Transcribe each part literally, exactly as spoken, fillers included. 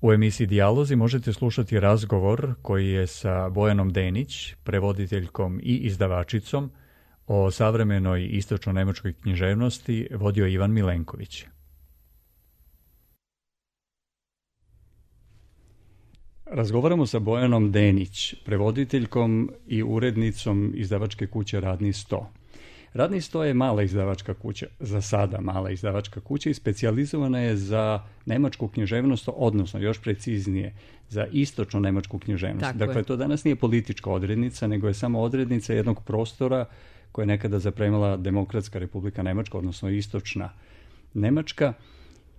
U emisiji Dijalozi možete slušati razgovor koji je sa Bojanom Denić, prevoditeljkom i izdavačicom, o savremenoj istočno-nemačkoj književnosti vodio Ivan Milenković. Razgovaramo sa Bojanom Denić, prevoditeljkom i urednicom izdavačke kuće Radni sto. Radni sto je mala izdavačka kuća, za sada mala izdavačka kuća i specijalizovana je za nemačku književnost, odnosno još preciznije za istočno nemačku književnost. Tako dakle, je. To danas nije politička odrednica, nego je samo odrednica jednog prostora koje je nekada zapremila Demokratska republika Nemačka, odnosno istočna Nemačka,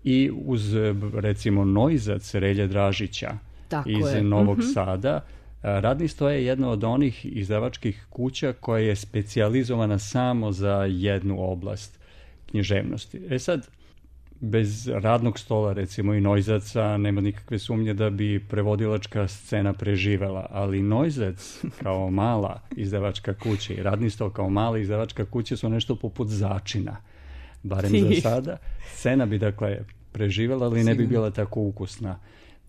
i uz, recimo, Neuzac Relje Dražića Tako iz je. Novog Mhm. Sada. Radni sto je jedna od onih izdavačkih kuća koja je specijalizovana samo za jednu oblast književnosti. E sad, bez radnog stola, recimo, i Neuzaca nema nikakve sumnje da bi prevodilačka scena preživela, ali Neuzac kao mala izdavačka kuća i Radni sto kao mala izdavačka kuća su nešto poput začina. Barem za sada. Scena bi, dakle, preživela, ali ne bi bila tako ukusna.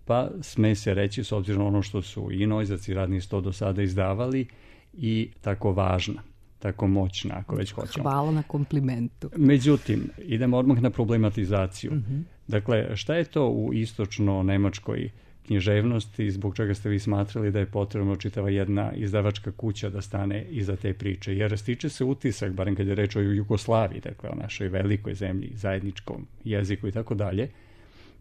Pa sme se reći, s obzirom na ono što su i Neuzac i Radni sto do sada izdavali, i tako važna, tako moćna, ako već hoćemo. Hvala na komplimentu. Međutim, idemo odmah na problematizaciju. Mm-hmm. Dakle, šta je to u istočno-nemačkoj književnosti, zbog čega ste vi smatrali da je potrebno čitava jedna izdavačka kuća da stane iza te priče? Jer stiče se utisak, barem kad je reč o Jugoslaviji, dakle o našoj velikoj zemlji, zajedničkom jeziku i tako dalje,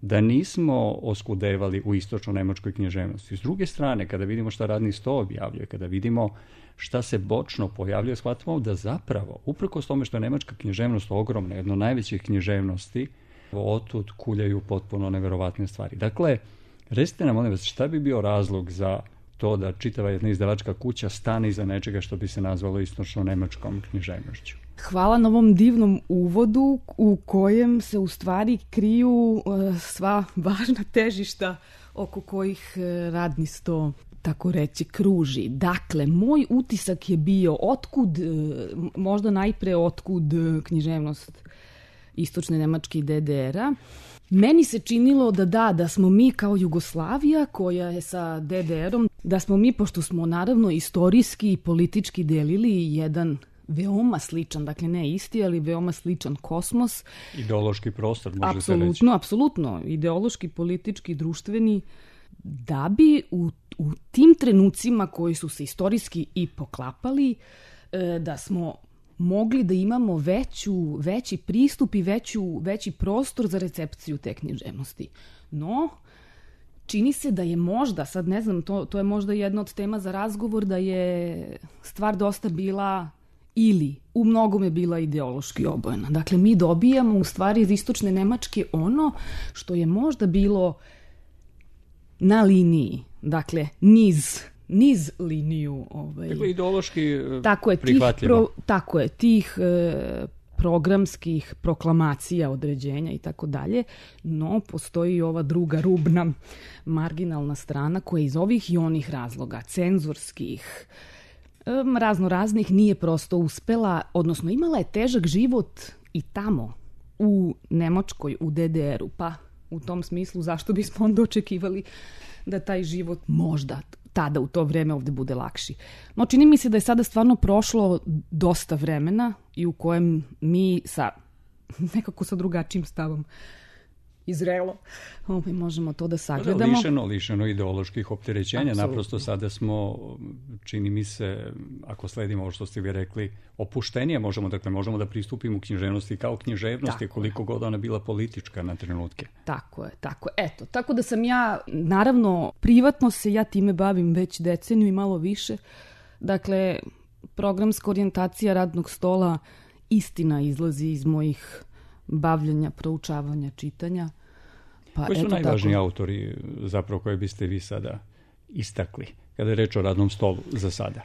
da nismo oskudevali u istočno-nemačkoj književnosti. S druge strane, kada vidimo šta Radni sto objavljuje, kada vidimo šta se bočno pojavljuje, shvatimo da zapravo, uprkos tome što je nemačka književnost ogromna, jedna od najvećih književnosti, otud kuljaju potpuno neverovatne stvari. Dakle, recite nam, molim vas, šta bi bio razlog za to da čitava jedna izdavačka kuća stane iza nečega što bi se nazvalo istočno-nemačkom književnošću? Hvala na ovom divnom uvodu u kojem se u stvari kriju uh, sva važna težišta oko kojih uh, Radni sto, tako reći, kruži. Dakle, moj utisak je bio otkud, uh, možda najpre otkud uh, književnost istočne Nemačke i de de era. Meni se činilo da da, da smo mi kao Jugoslavija koja je sa de de erom, da smo mi, pošto smo naravno istorijski i politički delili jedan veoma sličan, dakle ne isti, ali veoma sličan kosmos. Ideološki prostor, može se reći. Apsolutno, apsolutno. Ideološki, politički, društveni. Da bi u, u tim trenucima koji su se istorijski i poklapali, da smo mogli da imamo veću, veći pristup i veću, veći prostor za recepciju te književnosti. No, čini se da je možda, sad ne znam, to, to je možda jedna od tema za razgovor, da je stvar dosta bila ili u mnogome bila ideološki obojena. Dakle, mi dobijamo u stvari iz istočne Nemačke ono što je možda bilo na liniji, dakle, niz, niz liniju. Ovaj, dakle, ideološki tako je, prihvatljivo. Tih pro, tako je, tih e, programskih proklamacija, određenja i tako dalje, no postoji ova druga rubna marginalna strana koja iz ovih i onih razloga, cenzorskih, razno raznih, nije prosto uspela, odnosno imala je težak život i tamo, u Nemačkoj, u de de eru, pa u tom smislu zašto bismo onda očekivali da taj život možda tada u to vreme ovde bude lakši. No čini mi se da je sada stvarno prošlo dosta vremena i u kojem mi sa nekako sa drugačijim stavom izrelo, ovaj, možemo to da sagledamo. Lišeno, lišeno ideoloških opterećenja. Apsolutno. Naprosto sada smo, čini mi se, ako sledimo ovo što ste vi rekli, opuštenije možemo, dakle, možemo da pristupimo književnosti kao književnosti, tako koliko god ona bila politička na trenutke. Tako je, tako je. Eto, tako da sam ja, naravno, privatno se ja time bavim već deceniju i malo više. Dakle, programska orijentacija Radnog stola istina izlazi iz mojih bavljenja, proučavanja, čitanja. Pa, Koji su eto, najvažniji tako autori zapravo koje biste vi sada istakli kada je reč o Radnom stolu za sada?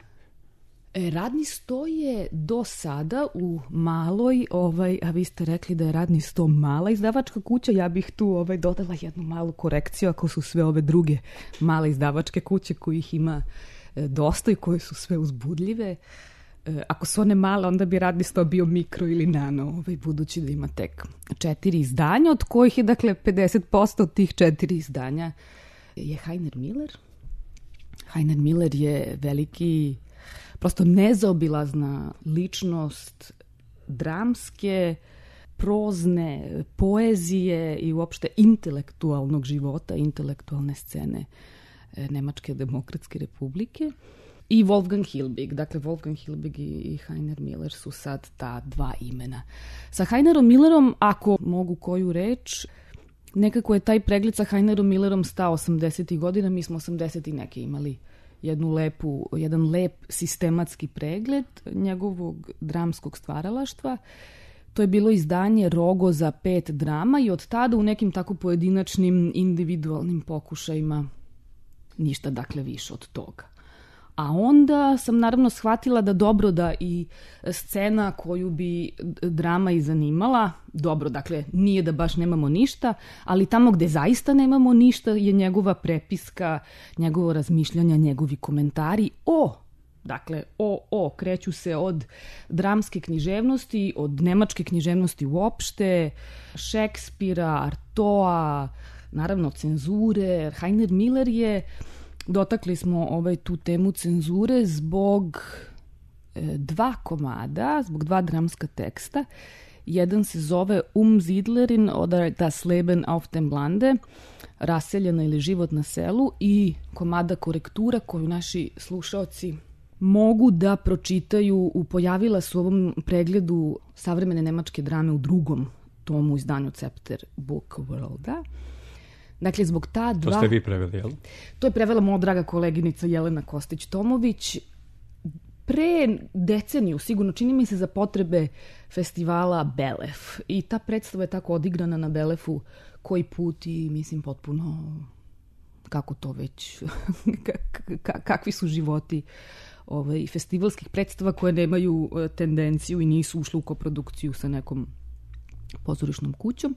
E, Radni sto je do sada u maloj, ovaj, a vi ste rekli da je Radni sto mala izdavačka kuća, ja bih tu ovaj, dodala jednu malu korekciju ako su sve ove druge male izdavačke kuće kojih ima e, dosta i koje su sve uzbudljive. E, ako su one male, onda bi Radni sto bio mikro ili nano, ovaj, budući da ima tek četiri izdanja, od kojih je dakle pedeset posto od tih četiri izdanja je Heiner Miller. Heiner Miller je veliki, prosto nezaobilazna ličnost dramske, prozne, poezije i uopšte intelektualnog života, intelektualne scene Nemačke demokratske republike. I Wolfgang Hilbig. Dakle, Wolfgang Hilbig i Heiner Miller su sad ta dva imena. Sa Heinerom Millerom, ako mogu koju reč, nekako je taj pregled sa Heinerom Millerom stao osamdesetih godina. Mi smo osamdesetih neke imali jednu lepu, jedan lep sistematski pregled njegovog dramskog stvaralaštva. To je bilo izdanje Rogoza pet drama i od tada u nekim tako pojedinačnim individualnim pokušajima ništa dakle više od toga. A onda sam naravno shvatila da dobro da i scena koju bi drama i zanimala, dobro, dakle nije da baš nemamo ništa, ali tamo gde zaista nemamo ništa je njegova prepiska, njegovo razmišljanja, njegovi komentari o, dakle o, o, kreću se od dramske književnosti, od nemačke književnosti uopšte, Šekspira, Artoa, naravno cenzure. Heiner Miller je, dotakli smo ovaj, tu temu cenzure zbog e, dva komada, zbog dva dramska teksta. Jedan se zove Umsiedlerin oder das Leben auf dem Lande, raseljena ili život na selu, i komada Korektura koju naši slušaoci mogu da pročitaju. Pojavila su u ovom pregledu savremene nemačke drame u drugom tomu izdanju Cepter Book Worlda. Dakle, zbog ta dva... To ste vi preveli, jel? To je prevela moja draga koleginica Jelena Kostić-Tomović. Pre deceniju, sigurno, čini mi se za potrebe festivala Belef. I ta predstava je tako odigrana na Belefu koji put i, mislim, potpuno kako to već, kakvi su životi ovaj, festivalskih predstava koje nemaju tendenciju i nisu ušle u koprodukciju sa nekom pozorišnom kućom.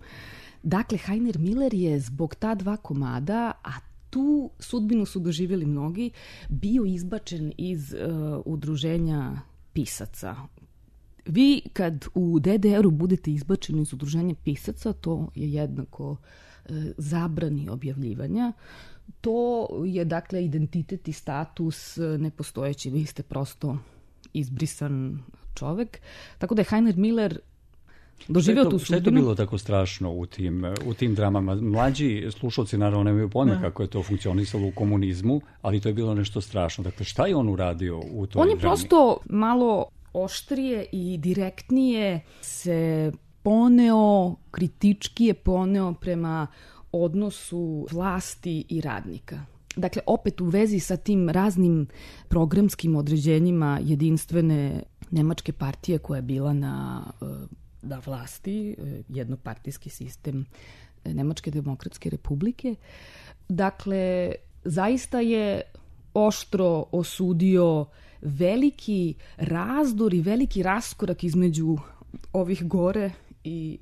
Dakle, Heiner Miller je zbog ta dva komada, a tu sudbinu su doživjeli mnogi, bio izbačen iz uh, udruženja pisaca. Vi kad u de de eru budete izbačeni iz udruženja pisaca, to je jednako uh, zabrani objavljivanja. To je, dakle, identitet i status nepostojeći. Vi ste prosto izbrisan čovek. Tako da je Heiner Miller doživio tu sudbinu. Šta je to bilo tako strašno u tim, u tim dramama? Mlađi slušalci naravno nemaju pojma kako je to funkcionisalo u komunizmu, ali to je bilo nešto strašno. Dakle, šta je on uradio u toj on drami? On je prosto malo oštrije i direktnije se poneo, kritički je poneo prema odnosu vlasti i radnika. Dakle, opet u vezi sa tim raznim programskim određenjima jedinstvene nemačke partije koja je bila na, na vlasti, jednopartijski sistem Nemačke demokratske republike. Dakle, zaista je oštro osudio veliki razdor i veliki raskorak između ovih gore i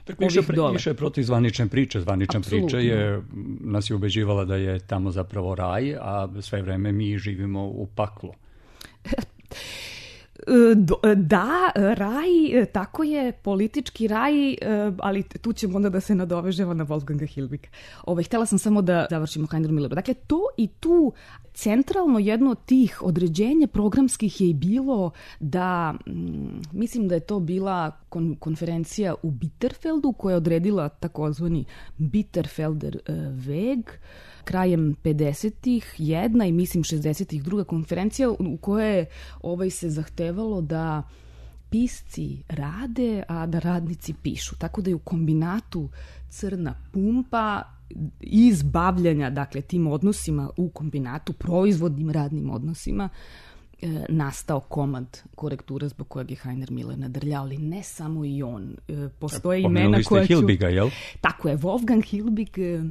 Dakle, više, pre, više je protiv zvanične priče. Zvanična Absolutno. priča je, nas je ubeđivala da je tamo zapravo raj, a sve vreme mi živimo u paklu. Da, raj, tako je, politički raj, ali tu ćemo onda da se nadovežemo na Wolfganga Hilbiga. Ove, htjela sam samo da završimo Heiner Milleru. Dakle, to i tu centralno jedno od tih određenja programskih je i bilo da, mislim da je to bila kon, konferencija u Bitterfeldu koja je odredila takozvani Bitterfelder Weg, krajem pedesetih jedna i mislim šezdesetih druga konferencija u kojoj ovaj se zahtevalo da pisci rade, a da radnici pišu. Tako da je u kombinatu Crna pumpa iz bavljanja, dakle, tim odnosima u kombinatu, proizvodnim radnim odnosima, e, nastao komad Korektura zbog kojeg je Heiner Miller nadrljao, ali ne samo i on. E, postoje imena koja ću... Hilbiga, jel? Tako je, Wolfgang Hilbig. E,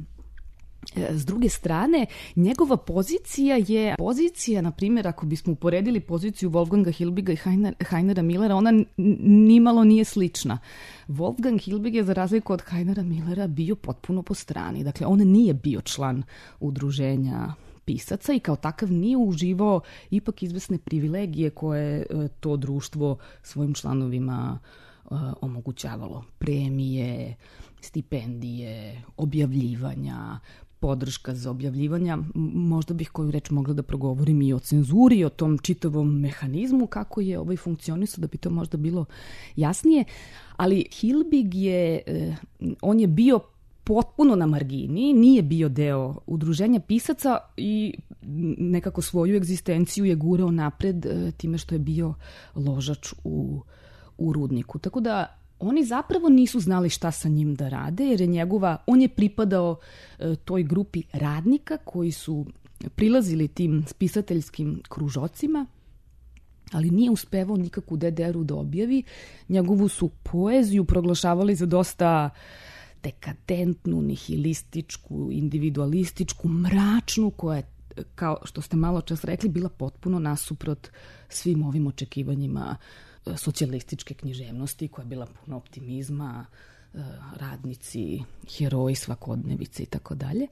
S druge strane, njegova pozicija je pozicija, na primjer, ako bismo uporedili poziciju Wolfganga Hilbiga i Heiner, Heinera Millera, ona nimalo nije slična. Wolfgang Hilbig je, za razliku od Heinera Millera, bio potpuno po strani. Dakle, on nije bio član udruženja pisaca i kao takav nije uživao ipak izvesne privilegije koje to društvo svojim članovima uh, omogućavalo. Premije, stipendije, objavljivanja, podrška za objavljivanja. Možda bih koju reč mogla da progovorim i o cenzuri, o tom čitavom mehanizmu, kako je ovaj funkcionisao, da bi to možda bilo jasnije. Ali Hilbig je, on je bio potpuno na margini, nije bio deo udruženja pisaca i nekako svoju egzistenciju je gurao napred time što je bio ložač u, u Rudniku. Tako da oni zapravo nisu znali šta sa njim da rade, jer je njegova, on je pripadao e, toj grupi radnika koji su prilazili tim spisateljskim kružocima, ali nije uspevao nikakvu de de er-u da objavi. Njegovu su poeziju proglašavali za dosta dekadentnu, nihilističku, individualističku, mračnu, koja je, kao što ste malo čas rekli, bila potpuno nasuprot svim ovim očekivanjima socijalističke književnosti, koja je bila puno optimizma, radnici, heroji svakodnevice i tako dalje.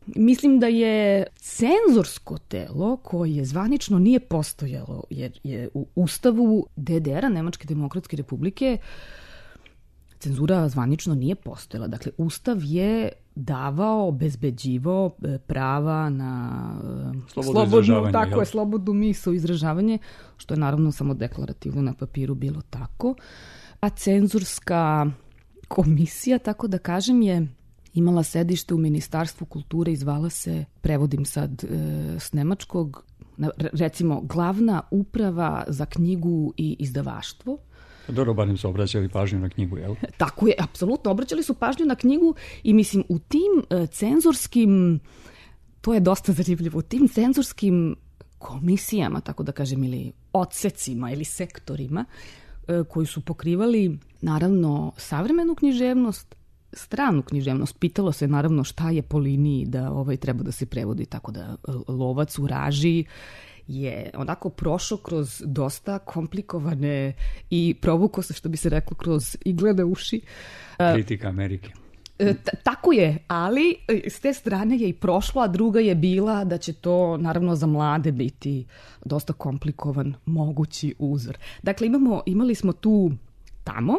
Mislim da je cenzorsko telo koje zvanično nije postojalo, jer je u ustavu de de er-a, Nemačke demokratske republike, cenzura zvanično nije postojala. Dakle, ustav je davao, obezbeđivao prava na slobodnu, tako jel? je, slobodnu misao, izražavanje, što je naravno samo deklarativno na papiru bilo tako. A cenzurska komisija, tako da kažem, je imala sedište u Ministarstvu kulture i zvala se, prevodim sad e, s nemačkog, recimo glavna uprava za knjigu i izdavaštvo. Dobro, barem su obraćali pažnju na knjigu, jel? Tako je, apsolutno, obraćali su pažnju na knjigu i mislim u tim e, cenzorskim, to je dosta zanimljivo, u tim cenzorskim komisijama, tako da kažem, ili odsecima ili sektorima e, koji su pokrivali naravno savremenu književnost, stranu književnost. Pitalo se naravno šta je po liniji da ovaj treba da se prevodi, tako da Lovac u Raži je onako prošao kroz dosta komplikovane i provukao se, što bi se reklo, kroz iglene uši. Kritika Amerike. T- tako je, ali s te strane je i prošlo, a druga je bila da će to naravno za mlade biti dosta komplikovan mogući uzor. Dakle, imamo, imali smo tu tamo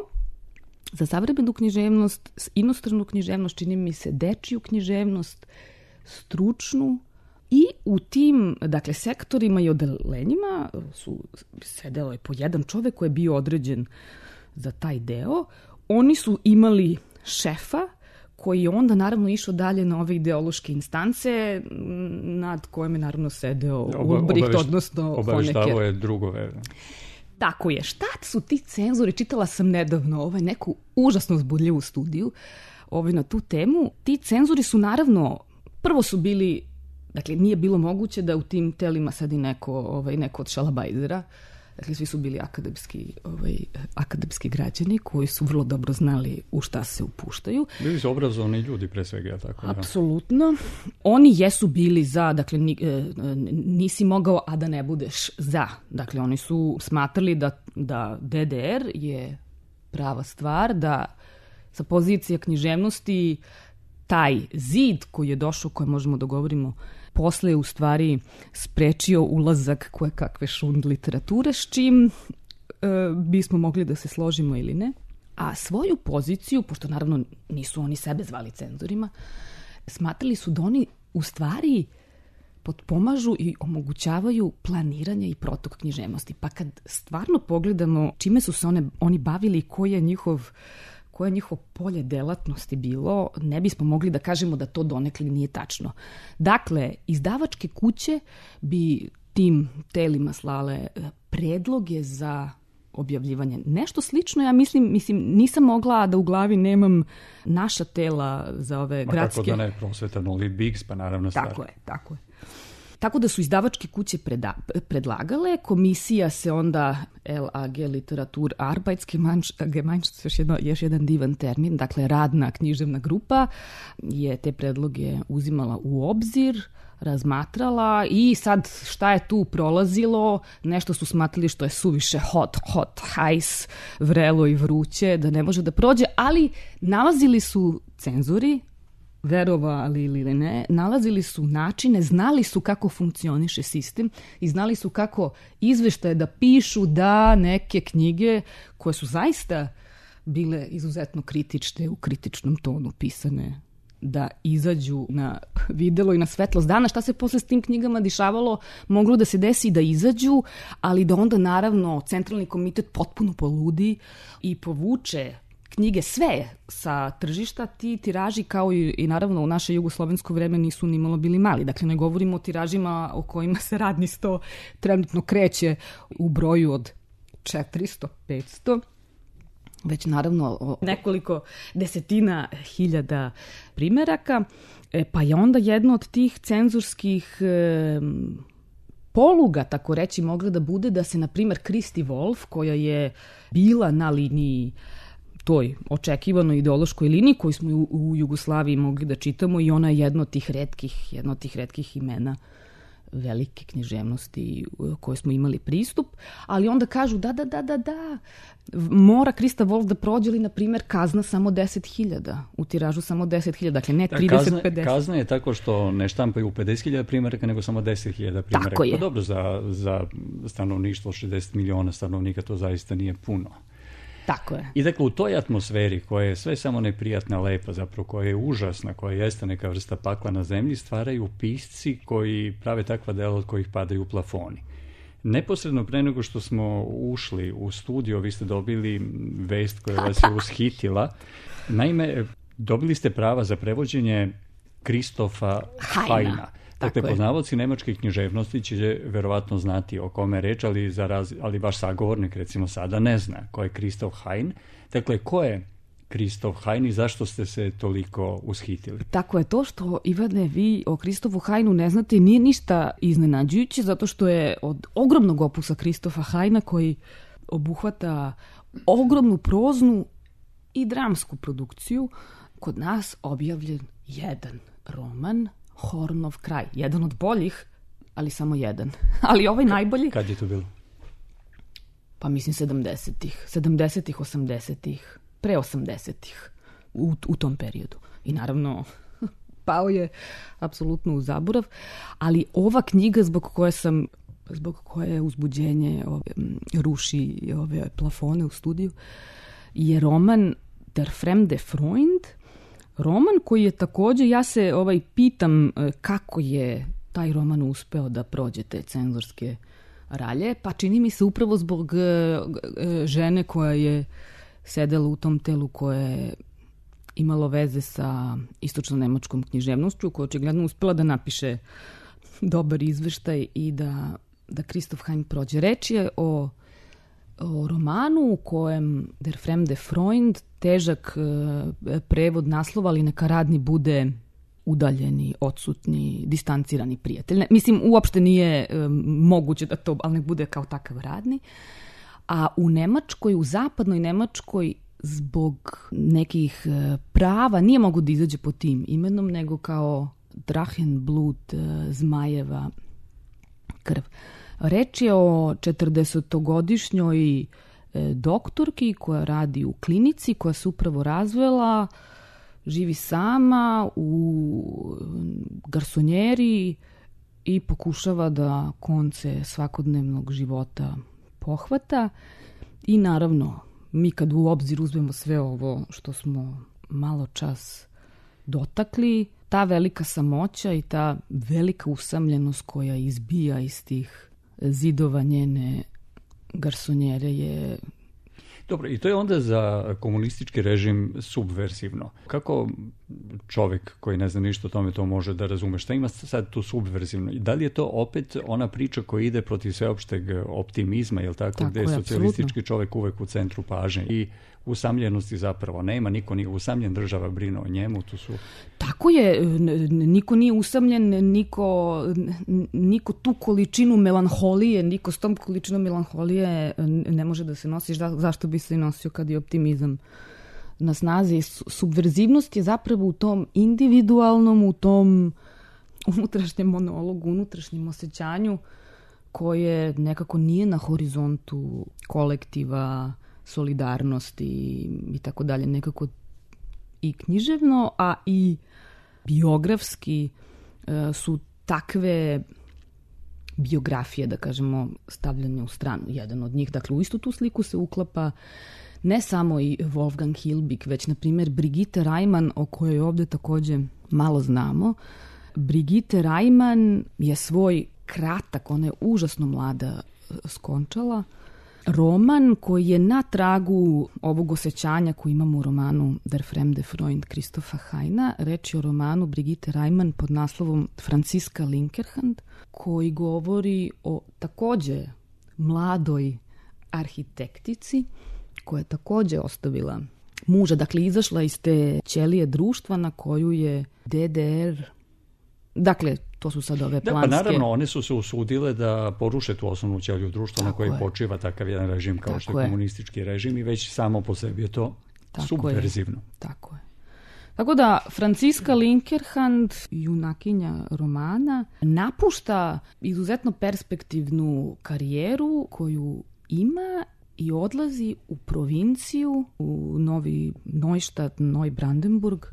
za savremenu književnost, inostranu književnost, čini mi se dečiju književnost, stručnu, i u tim, dakle, sektorima i odelenjima su sedelo je po jedan čovek koji je bio određen za taj deo. Oni su imali šefa koji je onda naravno išao dalje na ove ideološke instance nad kojim je naravno sedeo Ulbricht, odnosno Honecker. Obaveštavao je drugove. Tako je. Šta su ti cenzori? Čitala sam nedavno ovaj, neku užasno uzbudljivu studiju ovaj, na tu temu. Ti cenzori su naravno, prvo su bili, dakle nije bilo moguće da u tim telima sedi neko, ovaj, neko od šalabajzera. Dakle, svi su bili akademski, ovaj, akademski građani koji su vrlo dobro znali u šta se upuštaju. Bili su obrazovani ljudi pre svega, tako da. Apsolutno. Oni jesu bili za, dakle, nisi mogao, a da ne budeš za. Dakle, oni su smatrali da, da de de er je prava stvar, da sa pozicije književnosti taj zid koji je došao, koje možemo da govorimo posle je u stvari sprečio ulazak koje kakve šund literature, s čim e, bismo mogli da se složimo ili ne. A svoju poziciju, pošto naravno nisu oni sebe zvali cenzorima, smatrali su da oni u stvari potpomažu i omogućavaju planiranje i protok književnosti. Pa kad stvarno pogledamo čime su se one, oni bavili i koji je njihov koje je njihovo polje delatnosti bilo, ne bismo mogli da kažemo da to donekle nije tačno. Dakle, izdavačke kuće bi tim telima slale predloge za objavljivanje. Nešto slično, ja mislim, mislim nisam mogla da u glavi nemam naša tela za ove Ma gradske... Ma kako da ne, Prosvetan Olympics, pa naravno stvar. Tako je, tako je. Tako da su izdavačke kuće preda, predlagale, komisija se onda el a ge Literatur Arbeitsgemeinschaft, još, jedno, još jedan divan termin, dakle radna književna grupa, je te predloge uzimala u obzir, razmatrala i sad šta je tu prolazilo, nešto su smatrali što je suviše hot, hot, hajs, vrelo i vruće, da ne može da prođe, ali nalazili su cenzori, verovali ili ne, nalazili su načine, znali su kako funkcioniše sistem i znali su kako izveštaje da pišu da neke knjige koje su zaista bile izuzetno kritične, u kritičnom tonu pisane, da izađu na videlo i na svetlost dana. Šta se posle s tim knjigama dešavalo? Moglo da se desi da izađu, ali da onda naravno Centralni komitet potpuno poludi i povuče knjige sve sa tržišta. Ti tiraži, kao i, i naravno u naše jugoslovensko vreme, nisu ni malo bili mali. Dakle, ne govorimo o tiražima o kojima se radni sto trenutno kreće u broju od četiristo do petsto, već naravno o nekoliko desetina hiljada primeraka. E, pa je onda jedno od tih cenzurskih e, poluga, tako reći, mogla da bude da se, na primer, Kristi Wolf, koja je bila na liniji, toj očekivanoj ideološkoj liniji koju smo u, u Jugoslaviji mogli da čitamo, i ona je jedno od tih retkih, jedno od tih retkih imena velike književnosti koje smo imali pristup, ali onda kažu da, da, da, da, da, mora Krista Wolf da prođe, li, na primjer, kazna samo deset hiljada, u tiražu samo deset hiljada, dakle ne trideset do pedeset. Kazna je tako što ne štampaju pedeset hiljada primjeraka, nego samo deset hiljada primjeraka. Tako je. Pa dobro, za, za stanovništvo šezdeset miliona stanovnika to zaista nije puno. Tako je. I dakle, u toj atmosferi koja je sve samo neprijatna, lepa, zapravo koja je užasna, koja jeste neka vrsta pakla na zemlji, stvaraju pisci koji prave takva dela od kojih padaju plafoni. Neposredno pre nego što smo ušli u studio, vi ste dobili vest koja vas je ushitila. Naime, dobili ste prava za prevođenje Kristofa Hajna. Dakle, poznavaoci nemačke književnosti će verovatno znati o kome je reč, ali, za raz, ali vaš sagovornik, recimo, sada ne zna ko je Kristof Hajn. Dakle, ko je Kristof Hajn i zašto ste se toliko ushitili? Tako je, to što, Ivane, vi o Kristofu Hajnu ne znate nije ništa iznenađujuće, zato što je od ogromnog opusa Kristofa Hajna, koji obuhvata ogromnu proznu i dramsku produkciju, kod nas objavljen jedan roman, Hornov kraj. Jedan od boljih, ali samo jedan. Ali ovaj najbolji... Kad je to bilo? Pa mislim sedamdesetih. sedamdesetih, osamdesetih. Pre osamdesetih. U, u tom periodu. I naravno, pao je apsolutno u zaborav. Ali ova knjiga zbog koje sam, zbog koje uzbuđenje ove, ruši ove plafone u studiju, je roman Der fremde Freund, roman koji je takođe, ja se ovaj pitam kako je taj roman uspeo da prođe te cenzorske ralje, pa čini mi se upravo zbog žene koja je sedela u tom telu, koja je imalo veze sa istočno-nemačkom književnošću, koja je očigledno uspela da napiše dobar izveštaj i da, da Kristof Hajn prođe. Reč je o o romanu u kojem Der fremde Freund, težak e, prevod naslova, ali neka radni bude udaljeni, odsutni, distancirani prijatelj. Ne, mislim, uopšte nije e, moguće da to, ali nek bude kao takav radni. A u Nemačkoj, u zapadnoj Nemačkoj, zbog nekih e, prava nije mogu da izađe po tim imenom, nego kao Drachenblut, e, zmajeva krv. Reč je o četrdesetogodišnjoj doktorki koja radi u klinici, koja se upravo razvela, živi sama u garsonjeri i pokušava da konce svakodnevnog života pohvata. I naravno, mi kad u obzir uzmemo sve ovo što smo malo čas dotakli, ta velika samoća i ta velika usamljenost koja izbija iz tih zidova njene garsonjere je... Dobro, i to je onda za komunistički režim subversivno. Kako čovjek koji ne zna ništa o tome to može da razume? Šta ima sad tu subversivno? I da li je to opet ona priča koja ide protiv sveopšteg optimizma, jel tako, tako gde je socijalistički absolutno čovjek uvek u centru pažnje i usamljenosti zapravo nema, niko nije usamljen, država brine o njemu, tu su... Tako je, niko nije usamljen, niko, niko tu količinu melanholije, niko s tom količinom melanholije ne može da se nosi. Zašto bi se i nosio kad je optimizam na snazi? Subverzivnost je zapravo u tom individualnom, u tom unutrašnjem monologu, unutrašnjem osjećanju koje nekako nije na horizontu kolektiva, solidarnosti i tako dalje, nekako i književno, a i biografski e, su takve biografije, da kažemo, stavljene u stranu. Jedan od njih, dakle, u istu tu sliku se uklapa ne samo i Wolfgang Hilbig, već na primjer Brigitte Reimann, o kojoj ovdje također malo znamo. Brigitte Reimann je svoj kratak, ona je užasno mlada, skončala, roman koji je na tragu ovog osjećanja koji imamo u romanu Der fremde Freund Christopha Heina. Reč je o romanu Brigitte Reimann pod naslovom Franziska Linkerhand, koji govori o također mladoj arhitektici koja je također ostavila muža, dakle izašla iz te ćelije društva na koju je D D R, dakle to su sad ove planske... Da, pa naravno, one su se usudile da poruše tu osnovnu ćeliju društva na kojoj počiva takav jedan režim kao Tako što je, je komunistički režim i već samo po sebi je to Tako subverzivno. Je. Tako je. Tako da Franziska Linkerhand, junakinja romana, napušta izuzetno perspektivnu karijeru koju ima i odlazi u provinciju, u Novi Neustadt, Neubrandenburg,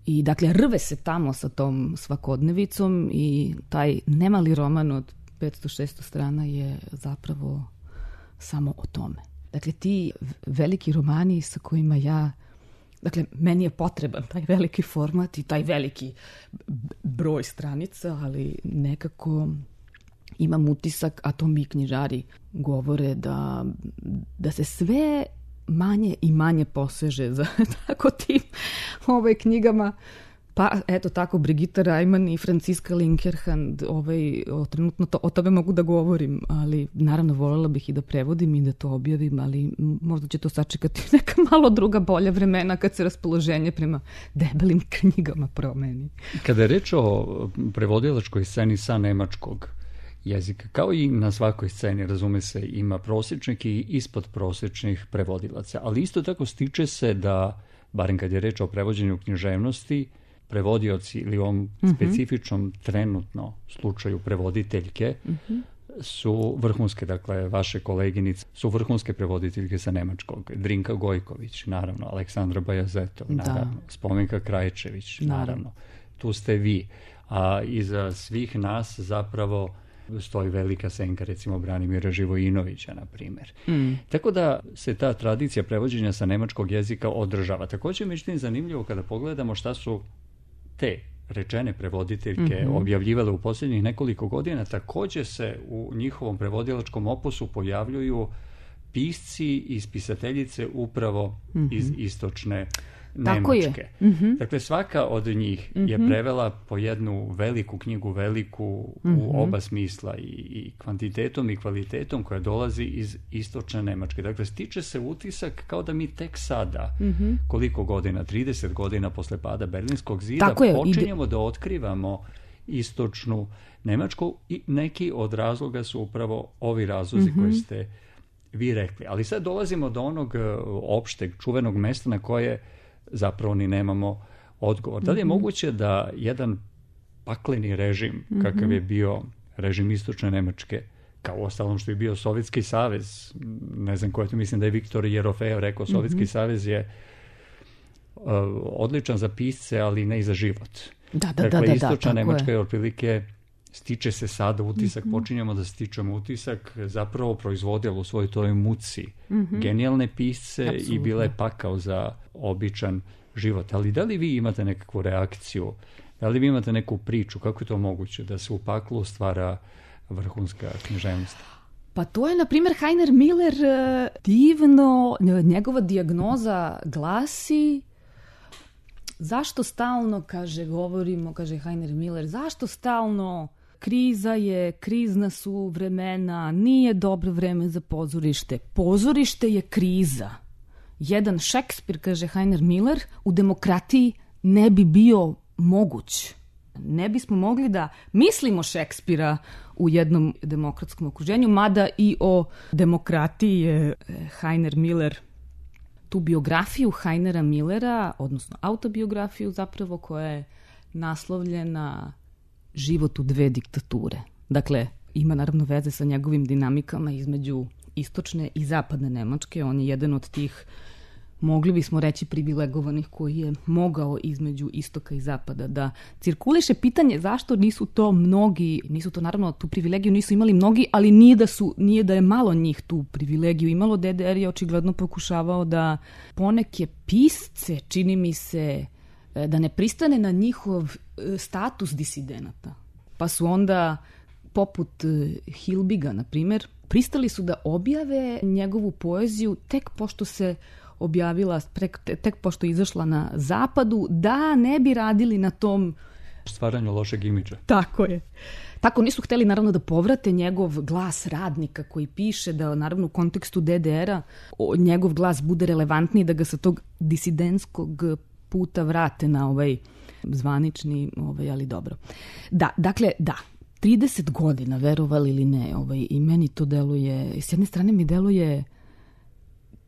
i dakle rve se tamo sa tom svakodnevicom i taj nemali roman od petsto šesto strana je zapravo samo o tome. Dakle, ti veliki romani sa kojima ja, dakle, meni je potreban taj veliki format i taj veliki broj stranica, ali nekako imam utisak, a to mi knjižari govore, da, da se sve manje i manje poseže za tako tim ovaj, knjigama. Pa eto tako, Brigitte Reimann i Franziska Linkerhand, ovaj, o, trenutno to, o tome mogu da govorim, ali naravno voljela bih i da prevodim i da to objavim, ali možda će to sačekati neka malo druga bolja vremena kad se raspoloženje prema debelim knjigama promeni. Kada je reč o prevodilačkoj sceni sa nemačkog jezika, kao i na svakoj sceni, razume se, ima prosječnih i ispod prosječnih prevodilaca, ali isto tako stiče se da, barem kad je reč o prevođenju književnosti, prevodioci ili u ovom mm-hmm. specifičnom trenutno slučaju prevoditeljke mm-hmm. su vrhunske, dakle vaše koleginice su vrhunske prevoditeljke sa nemačkog. Drinka Gojković, naravno, Aleksandra Bajazetov, naravno, da. Spomenka Krajčević, naravno. naravno. Tu ste vi. A iza svih nas zapravo stoji velika senka, recimo Branimira Živojinovića, na primjer. Mm. Tako da se ta tradicija prevođenja sa nemačkog jezika održava. Također je međutim zanimljivo kada pogledamo šta su te rečene prevoditeljke mm-hmm. objavljivale u posljednjih nekoliko godina. Također se u njihovom prevodilačkom opusu pojavljuju pisci i spisateljice upravo mm-hmm. iz istočne Nemačke. Mm-hmm. Dakle, svaka od njih mm-hmm. je prevela po jednu veliku knjigu, veliku mm-hmm. u oba smisla i, i kvantitetom i kvalitetom koja dolazi iz istočne Nemačke. Dakle, stiče se utisak kao da mi tek sada, mm-hmm. koliko godina, trideset godina posle pada Berlinskog zida, počinjemo ide... da otkrivamo istočnu Nemačku i neki od razloga su upravo ovi razlozi mm-hmm. koji ste vi rekli. Ali sad dolazimo do onog opšteg, čuvenog mesta na koje zapravo ni nemamo odgovor. Da li je mm-hmm. moguće da jedan pakleni režim, mm-hmm. kakav je bio režim istočne Nemačke, kao ostalom što je bio Sovjetski savez, ne znam ko je to, mislim da je Viktor Jerofejev rekao, Sovjetski mm-hmm. savez je uh, odličan za pisce, ali ne i za život. Da, da, dakle, da, da, istočna da, Nemačka je otprilike, stiče se sada utisak, mm-hmm. počinjemo da stičemo utisak, zapravo proizvodila u svojoj toj muci mm-hmm. genijalne pisce Absolutno. I bila je pakao za običan život. Ali da li vi imate nekakvu reakciju, da li vi imate neku priču, kako je to moguće da se u paklu stvara vrhunska književnost? Pa to je, na primjer, Heiner Miller divno, njegova dijagnoza glasi: zašto stalno, kaže, govorimo, kaže Heiner Miller, zašto stalno kriza je, krizna su vremena, nije dobro vreme za pozorište. Pozorište je kriza. Jedan Šekspir, kaže Heiner Miller, u demokratiji ne bi bio moguć. Ne bismo mogli da mislimo Šekspira u jednom demokratskom okruženju, mada i o demokratiji je Heiner Miller tu biografiju Heinera Millera, odnosno autobiografiju zapravo, koja je naslovljena Život u dve diktature. Dakle, ima naravno veze sa njegovim dinamikama između istočne i zapadne Nemačke. On je jedan od tih mogli bismo reći privilegovanih, koji je mogao između istoka i zapada da cirkuliše. Pitanje zašto nisu to mnogi, nisu to naravno tu privilegiju nisu imali mnogi, ali nije da, su, nije da je malo njih tu privilegiju imalo. D D R je očigledno pokušavao da poneke pisce, čini mi se, da ne pristane na njihov status disidenata. Pa su onda, poput Hilbiga, na primjer, pristali su da objave njegovu poeziju tek pošto se objavila, tek pošto je izašla na zapadu, da ne bi radili na tom stvaranju lošeg imidža. Tako je. Tako nisu hteli naravno da povrate njegov glas radnika koji piše, da naravno u kontekstu D D R-a njegov glas bude relevantniji, da ga sa tog disidentskog puta vrate na ovaj zvanični, ovaj, ali dobro. Da, dakle, da, trideset godina, verovali ili ne, ovaj, i meni to deluje, s jedne strane mi deluje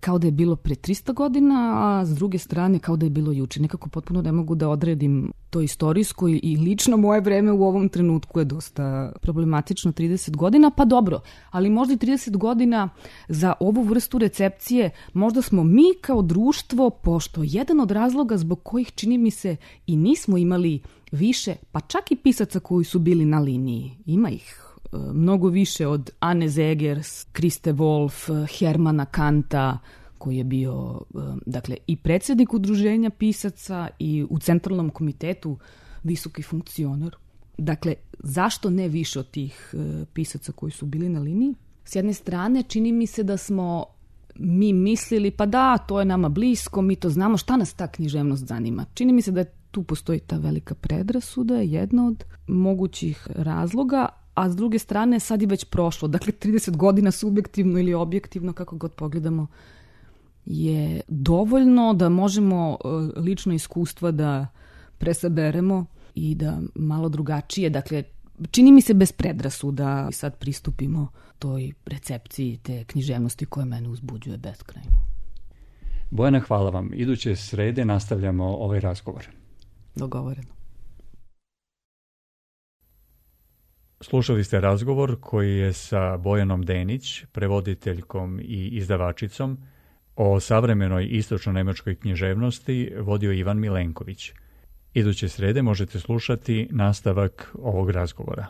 kao da je bilo pre tristo godina, a s druge strane kao da je bilo juče. Nekako potpuno ne mogu da odredim to istorijsko i lično moje vreme u ovom trenutku je dosta problematično, trideset godina, pa dobro, ali možda i trideset godina za ovu vrstu recepcije, možda smo mi kao društvo, pošto jedan od razloga zbog kojih čini mi se i nismo imali više, pa čak i pisaca koji su bili na liniji, ima ih mnogo više od Anne Zegers, Kriste Wolf, Hermana Kanta, koji je bio dakle, i predsjednik udruženja pisaca i u centralnom komitetu visoki funkcioner. Dakle, zašto ne više od tih pisaca koji su bili na liniji? S jedne strane, čini mi se da smo mi mislili, pa da, to je nama blisko, mi to znamo, šta nas ta književnost zanima. Čini mi se da tu postoji ta velika predrasuda, jedna od mogućih razloga, a s druge strane sad je već prošlo. Dakle, trideset godina subjektivno ili objektivno, kako god pogledamo, je dovoljno da možemo lično iskustva da presaberemo i da malo drugačije, dakle, čini mi se bez predrasuda sad pristupimo toj recepciji te književnosti koja mene uzbuđuje beskrajno. Bojana, hvala vam. Iduće srede nastavljamo ovaj razgovor. Dogovoreno. Slušali ste razgovor koji je sa Bojanom Denić, prevoditeljkom i izdavačicom, o savremenoj istočno-nemačkoj književnosti vodio Ivan Milenković. Iduće srede možete slušati nastavak ovog razgovora.